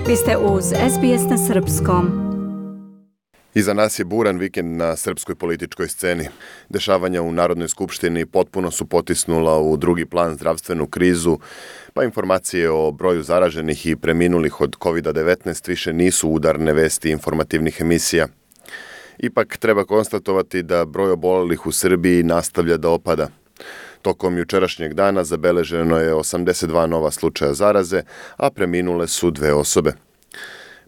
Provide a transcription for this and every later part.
Vi ste uz SBS na srpskom. Iza nas je buran vikend na srpskoj političkoj sceni. Dešavanja u Narodnoj skupštini potpuno su potisnula u drugi plan zdravstvenu krizu, pa informacije o broju zaraženih i preminulih od COVID-19 više nisu udarne vesti informativnih emisija. Ipak treba konstatovati da broj obolelih u Srbiji nastavlja da opada. Tokom jučerašnjeg dana zabeleženo je 82 nova slučaja zaraze, a preminule su 2 osobe.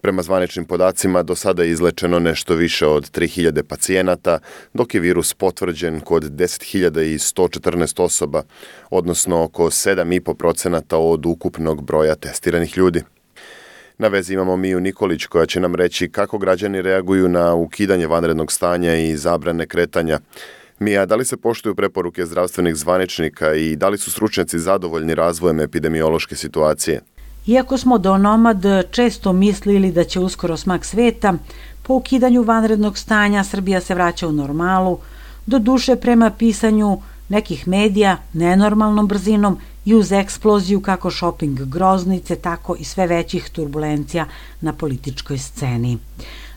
Prema zvaničnim podacima, do sada je izlečeno nešto više od 3000 pacijenata, dok je virus potvrđen kod 10.114 osoba, odnosno oko 7,5% od ukupnog broja testiranih ljudi. Na vezi imamo Miju Nikolić koja će nam reći kako građani reaguju na ukidanje vanrednog stanja i zabrane kretanja. Mija, da li se poštuju preporuke zdravstvenih zvaničnika i da li su stručnjaci zadovoljni razvojem epidemiološke situacije? Iako smo do nomad često mislili da će uskoro smak sveta, po ukidanju vanrednog stanja Srbija se vraća u normalu, do duše prema pisanju nekih medija nenormalnom brzinom i uz eksploziju kako šoping groznice, tako i sve većih turbulencija na političkoj sceni.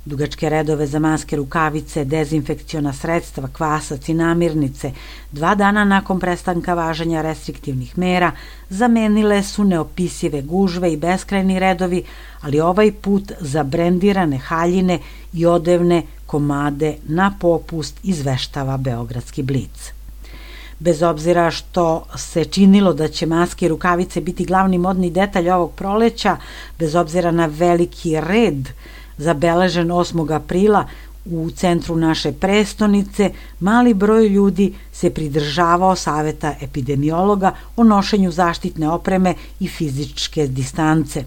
Dugačke redove za maske, rukavice, dezinfekciona sredstva, kvasac i namirnice 2 dana nakon prestanka važenja restriktivnih mera zamenile su neopisive gužve i beskrajni redovi, ali ovaj put za brendirane haljine i odevne komade na popust izveštava Beogradski Blic. Bez obzira što se činilo da će maske i rukavice biti glavni modni detalj ovog proleća, bez obzira na veliki red zabeležen 8. aprila u centru naše prestonice, mali broj ljudi se pridržavao saveta epidemiologa o nošenju zaštitne opreme i fizičke distance.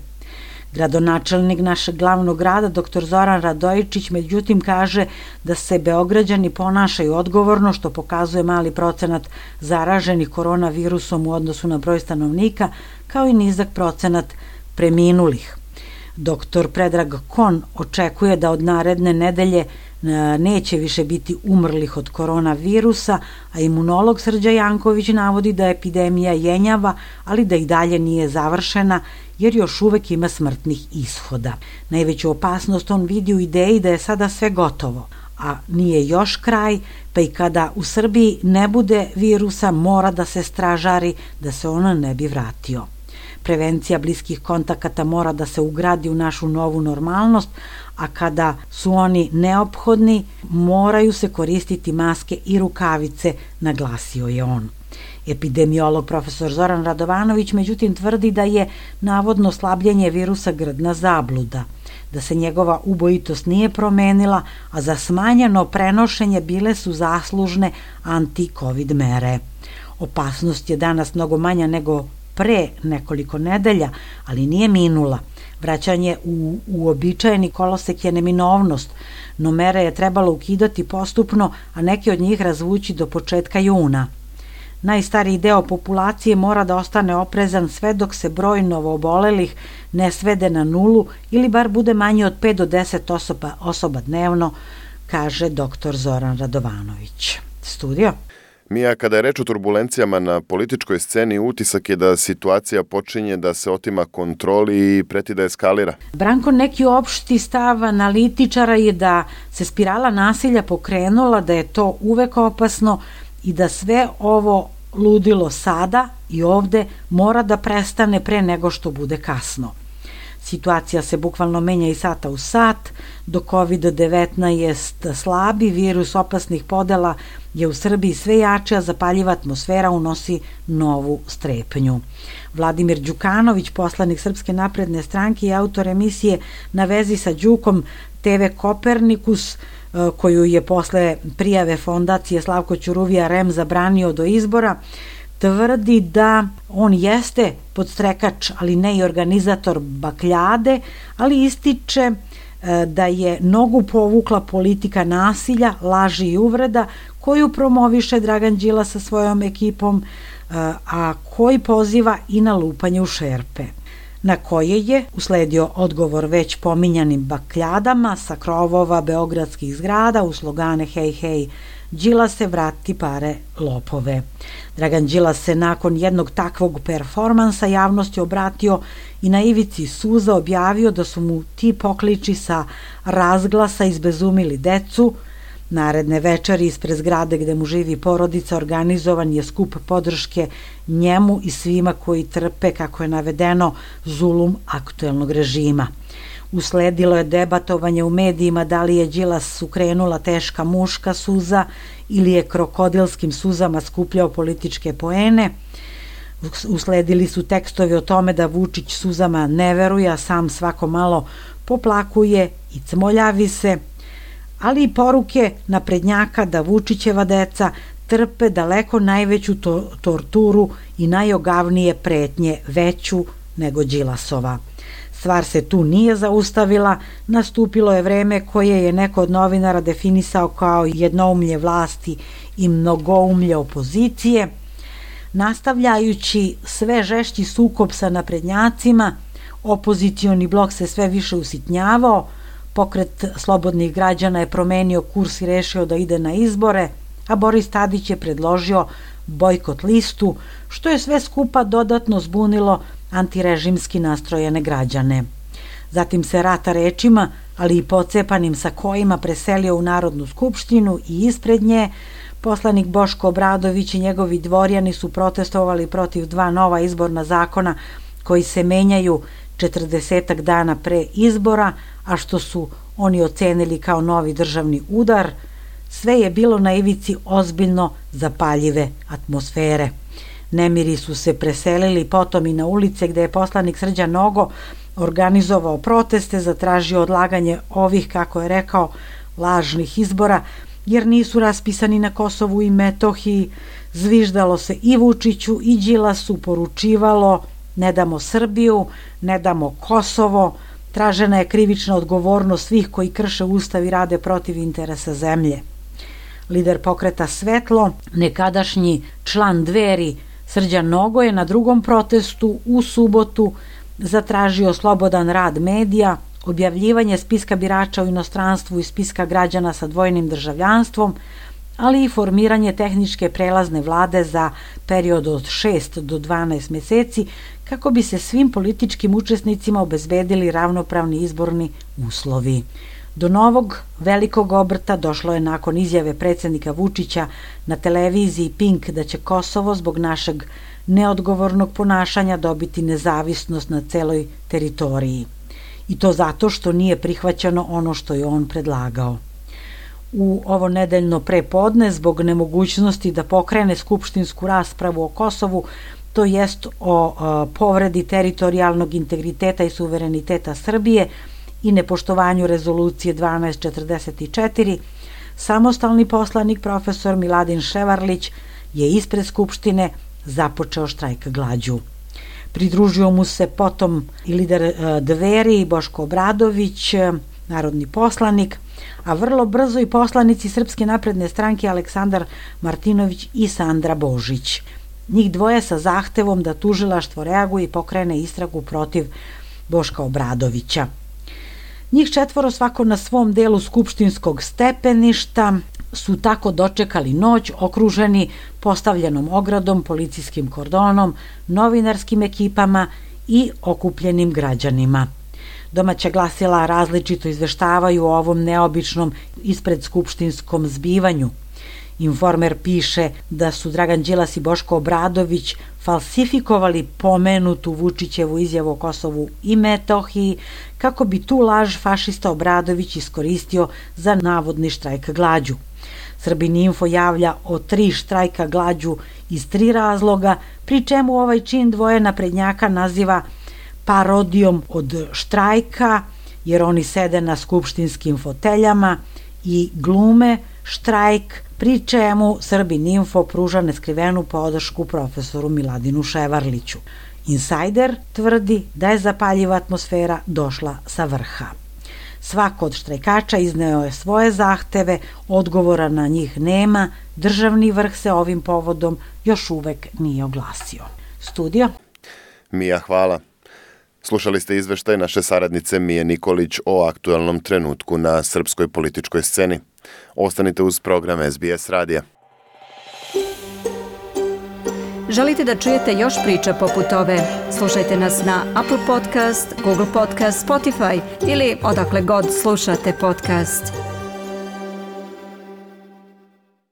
Gradonačelnik našeg glavnog grada, dr. Zoran Radojičić, međutim kaže da se Beograđani ponašaju odgovorno, što pokazuje mali procenat zaraženih koronavirusom u odnosu na broj stanovnika, kao i nizak procenat preminulih. Dr. Predrag Kon očekuje da od naredne nedelje neće više biti umrlih od koronavirusa, a imunolog Srđa Janković navodi da epidemija jenjava, ali da i dalje nije završena, jer još uvek ima smrtnih ishoda. Najveću opasnost on vidi u ideji da je sada sve gotovo, a nije još kraj, pa i kada u Srbiji ne bude virusa mora da se stražari da se on ne bi vratio. Prevencija bliskih kontakata mora da se ugradi u našu novu normalnost, a kada su oni neophodni, moraju se koristiti maske i rukavice, naglasio je on. Epidemiolog profesor Zoran Radovanović međutim tvrdi da je navodno slabljenje virusa grdna zabluda, da se njegova ubojitost nije promenila, a za smanjeno prenošenje bile su zaslužne anti-covid mere. Opasnost je danas mnogo manja nego pre nekoliko nedelja, ali nije minula. Vraćanje u uobičajeni kolosek je neminovnost, no mere je trebalo ukidati postupno, a neke od njih razvući do početka juna. Najstariji deo populacije mora da ostane oprezan sve dok se broj novoobolelih ne svede na 0 ili bar bude manje od 5 do 10 osoba dnevno, kaže dr. Zoran Radovanović. Studio. Mija, kada je reč o turbulencijama na političkoj sceni, utisak je da situacija počinje da se otima kontroli i preti da eskalira. Branko, neki opšti stav analitičara je da se spirala nasilja pokrenula, da je to uvek opasno i da sve ovo ludilo sada i ovde mora da prestane pre nego što bude kasno. Situacija se bukvalno menja iz sata u sat, dok COVID-19 slabi, virus opasnih podela je u Srbiji sve jače, a zapaljiva atmosfera unosi novu strepnju. Vladimir Đukanović, poslanik Srpske napredne stranke i autor emisije Na vezi sa Đukom TV Kopernikus, koju je posle prijave fondacije Slavko Ćuruvija REM zabranio do izbora, tvrdi da on jeste podstrekač, ali ne i organizator bakljade, ali ističe da je nogu povukla politika nasilja, laži i uvreda koju promoviše Dragan Đilas sa svojom ekipom, a koji poziva i na lupanje u šerpe, na koje je usledio odgovor već pominjanim bakljadama sa krovova beogradskih zgrada u slogane hej, hej, Đilase, vrati pare, lopove. Dragan Đilas se nakon jednog takvog performansa javnosti obratio i na ivici suza objavio da su mu ti pokliči sa razglasa izbezumili decu. Naredne večeri ispred zgrade gde mu živi porodica organizovan je skup podrške njemu i svima koji trpe, kako je navedeno, zulum aktuelnog režima. Usledilo je debatovanje u medijima da li je Đilasu krenula teška muška suza ili je krokodilskim suzama skupljao političke poene. Usledili su tekstovi o tome da Vučić suzama ne veruje, a sam svako malo poplakuje i cmoljavi se, ali i poruke naprednjaka da Vučićeva deca trpe daleko najveću torturu i najogavnije pretnje, veću nego Đilasova. Stvar se tu nije zaustavila, nastupilo je vreme koje je neko od novinara definisao kao jednoumlje vlasti i mnogoumlje opozicije. Nastavljajući sve žešći sukob sa naprednjacima, opozicioni blok se sve više usitnjavao, Pokret slobodnih građana je promenio kurs i rešio da ide na izbore, a Boris Tadić je predložio bojkot listu, što je sve skupa dodatno zbunilo antirežimski nastrojene građane. Zatim se rata rečima, ali i pocepanim sakojima preselio u Narodnu skupštinu i ispred nje poslanik Boško Obradović i njegovi dvorjani su protestovali protiv 2 nova izborna zakona koji se menjaju 40 dana pre izbora, a što su oni ocenili kao novi državni udar. Sve je bilo na ivici ozbiljno zapaljive atmosfere. Nemiri su se preselili potom i na ulice gde je poslanik Srđan Nogo organizovao proteste, zatražio odlaganje ovih, kako je rekao, lažnih izbora, jer nisu raspisani na Kosovu i Metohiji. Zviždalo se i Vučiću i Đilasu, poručivalo ne damo Srbiju, ne damo Kosovo, tražena je krivična odgovornost svih koji krše ustav i rade protiv interesa zemlje. Lider pokreta Svetlo, nekadašnji član Dveri Srđan Nogo je na drugom protestu u subotu zatražio slobodan rad medija, objavljivanje spiska birača u inostranstvu i spiska građana sa dvojnim državljanstvom, ali i formiranje tehničke prelazne vlade za period od 6 do 12 meseci kako bi se svim političkim učesnicima obezbedili ravnopravni izborni uslovi. Do novog velikog obrta došlo je nakon izjave predsjednika Vučića na televiziji Pink da će Kosovo zbog našeg neodgovornog ponašanja dobiti nezavisnost na celoj teritoriji. I to zato što nije prihvaćeno ono što je on predlagao. U ovo nedeljno prepodne, zbog nemogućnosti da pokrene skupštinsku raspravu o Kosovu, to jest o povredi teritorijalnog integriteta i suvereniteta Srbije i nepoštovanju rezolucije 1244, samostalni poslanik profesor Miladin Ševarlić je ispred Skupštine započeo štrajk glađu. Pridružio mu se potom i lider Dveri Boško Obradović, narodni poslanik, a vrlo brzo i poslanici Srpske napredne stranke Aleksandar Martinović i Sandra Božić. Njih dvoje sa zahtevom da tužilaštvo reaguje i pokrene istragu protiv Boška Obradovića. Njih 4 svako na svom delu skupštinskog stepeništa su tako dočekali noć okruženi postavljenom ogradom, policijskim kordonom, novinarskim ekipama i okupljenim građanima. Domaća glasila različito izveštavaju o ovom neobičnom ispred skupštinskom zbivanju. Informer piše da su Dragan Đilas i Boško Obradović falsifikovali pomenutu Vučićevu izjavu o Kosovu i Metohiji kako bi tu laž fašista Obradović iskoristio za navodni štrajk glađu. Srbin Info javlja o 3 štrajka glađu iz 3 razloga, pri čemu ovaj čin dvoje naprednjaka naziva parodijom od štrajka, jer oni sede na skupštinskim foteljama i glume štrajk, pri čemu Srbin Info pruža neskrivenu podršku profesoru Miladinu Ševarliću. Insajder tvrdi da je zapaljiva atmosfera došla sa vrha. Svako od štrajkača izneo je svoje zahteve, odgovora na njih nema, državni vrh se ovim povodom još uvek nije oglasio. Studio? Mija, hvala. Slušali ste izveštaj naše saradnice Mije Nikolić o aktualnom trenutku na srpskoj političkoj sceni. Ostanite uz program SBS radija. Želite da čujete još priča poput ove? Slušajte nas na Apple Podcast, Google Podcast, Spotify ili odakle god slušate podcast.